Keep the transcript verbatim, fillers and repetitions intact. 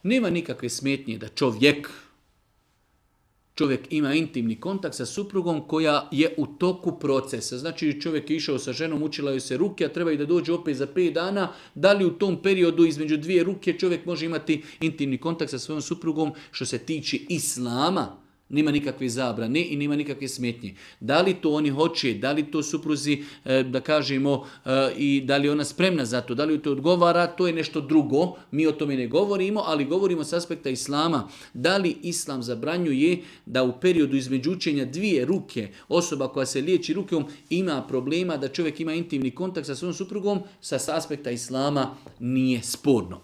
Nema nikakve smetnje da čovjek, čovjek ima intimni kontakt sa suprugom koja je u toku procesa. Znači čovjek je išao sa ženom, učila joj se ruke, a treba i da dođe opet za pet dana. Da li u tom periodu između dvije ruke čovjek može imati intimni kontakt sa svojom suprugom što se tiče islama? Nema nikakve zabrane i nema nikakve smetnje. Da li to oni hoće, da li to supruzi, da kažemo, i da li je ona spremna za to, da li to odgovara, to je nešto drugo. Mi o tome ne govorimo, ali govorimo s aspekta islama. Da li islam zabranjuje da u periodu između učenja dvije ruke, osoba koja se liječi rukom ima problema da čovjek ima intimni kontakt sa svojom suprugom, sa aspekta islama nije sporno.